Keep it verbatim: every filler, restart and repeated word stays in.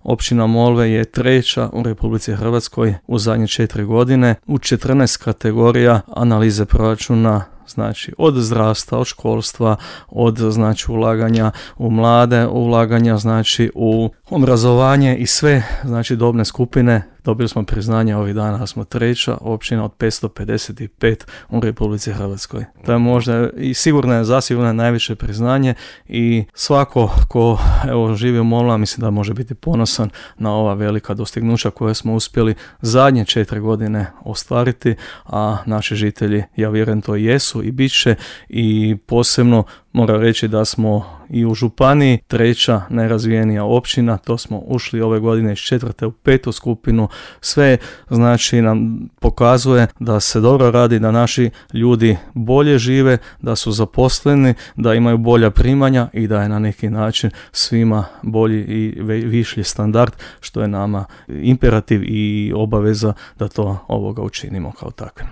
Općina Molve je treća u Republici Hrvatskoj u zadnje četiri godine u četrnaest kategorija analize proračuna, znači od zdravstva, od školstva, od znači ulaganja u mlade, ulaganja znači u obrazovanje i sve znači dobne skupine. Dobili smo priznanje ovih dana da smo treća općina od petsto pedeset pet u Republici Hrvatskoj. To je možda i sigurno je zasigurno najviše priznanje i svako ko evo živi u Molva mislim da može biti ponosan na ova velika dostignuća koje smo uspjeli zadnje četiri godine ostvariti, a naši žitelji, ja vjerujem, to jesu i bit će, i posebno moram reći da smo i u županiji treća najrazvijenija općina. To smo ušli ove godine iz četvrte u petu skupinu. Sve znači nam pokazuje da se dobro radi, da naši ljudi bolje žive, da su zaposleni, da imaju bolja primanja i da je na neki način svima bolji i viši standard, što je nama imperativ i obaveza da to ovoga učinimo kao takve.